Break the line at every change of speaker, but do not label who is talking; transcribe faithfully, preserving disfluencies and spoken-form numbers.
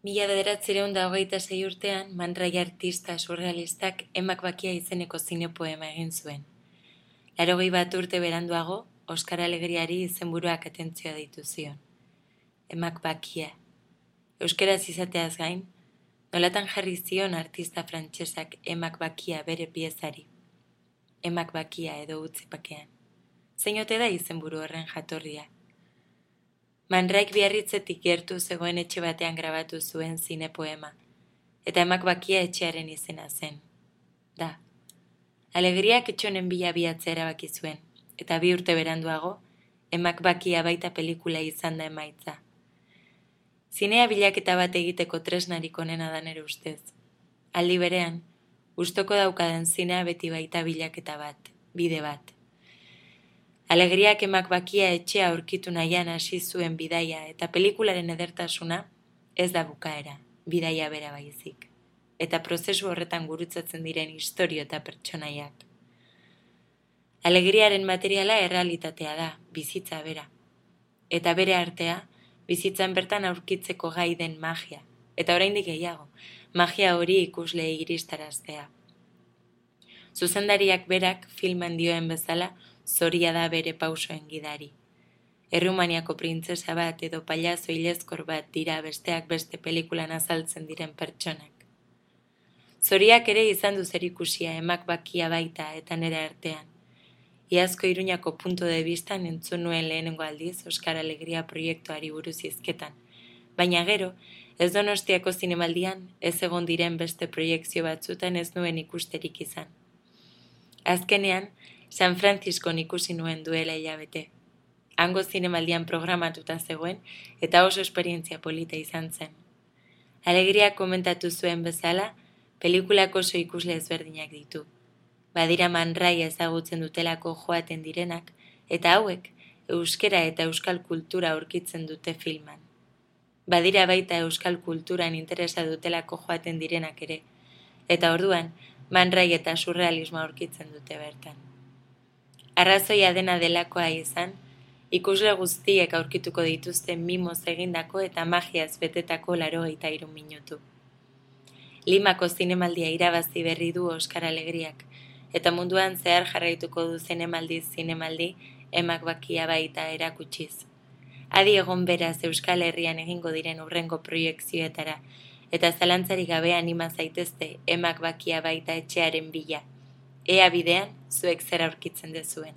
Mila bederatziehun eta hogeita sei urtean, Man Ray artista surrealistak Emak Bakia izeneko zinepoema egin zuen. Laurogei bat urte beranduago, Oskar Alegriari izenburuak atentzioa deitu zion. Emak Bakia. Euskeraz izateaz gain, nolatan jarri zion artista frantsesak Emak Bakia bere piezari. Emak Bakia edo utzi bakean. Zein ote da izenburu horren jatorria? Man Rayk Biarritzetik gertu zegoen etxe batean grabatu zuen zinepoema, eta Emak Bakia etxearen izena zen. Da. Alegriak etxonen bila biatzea erabaki zuen, eta bi urte beranduago, Emak Bakia baita pelikula izan da emaitza. Zinea bilaketa bat egiteko tresnarik onena da nere ustez. Aldi berean, gustoko daukaden zinea beti baita bilaketa bat, bide bat. Alegriak Emak Bakia etxea aurkitu nahian hasi zuen bidaia eta pelikularen edertasuna ez da bukaera, bidaia bera baizik. Eta prozesu horretan gurutzatzen diren istorio eta pertsonaiak. Alegriaren materiala errealitatea da, bizitza bera. Eta bere artea, bizitzan bertan aurkitzeko gai den magia. Eta oraindik gehiago, magia hori ikusleei iristaraztea. Zuzendariak berak filman dioen bezala, zoria da bere pausoen gidari. Errumaniako printzesa bat edo pailazo ilezkor bat dira besteak beste pelikulan azaltzen diren pertsonak. Zoriak ere izan du zerikusia Emak Bakia baita eta nere artean. Iazko Iruñako punto de vista entzun nuen lehenengo aldiz Oskar Alegria proiektuari buruz hizketan. Baina gero, ez Donostiako zinemaldian, ez egon diren beste proiekzio batzutan ez nuen ikusterik izan. Azkenean, San Franciscon ikusi nuen duela hilabete. Hango zinemaldian programatuta zegoen eta oso esperientzia polita izan zen. Alegriak komentatu zuen bezala, pelikulako oso ikusle ezberdinak ditu. Badira Man Ray ezagutzen dutelako joaten direnak, eta hauek euskera eta euskal kultura aurkitzen dute filman. Badira baita euskal kulturan interesa dutelako joaten direnak ere, eta orduan Man Ray eta surrealismoa aurkitzen dute bertan. Arrazoia dena delakoa izan, ikusle guztiek aurkituko dituzte mimoz egindako eta magiaz betetako laurogeita hiru minutu. Limako zinemaldia irabazi berri du Oskar Alegriak, eta munduan zehar jarraituko du zinemaldi zinemaldi Emak Bakia baita erakutsiz. Adi egon beraz Euskal Herrian egingo diren hurrengo proiekzioetara, eta zalantzarik gabe anima zaitezte Emak Bakia baita etxearen bila. Ea bidean, zuek zer aurkitzen dezuen.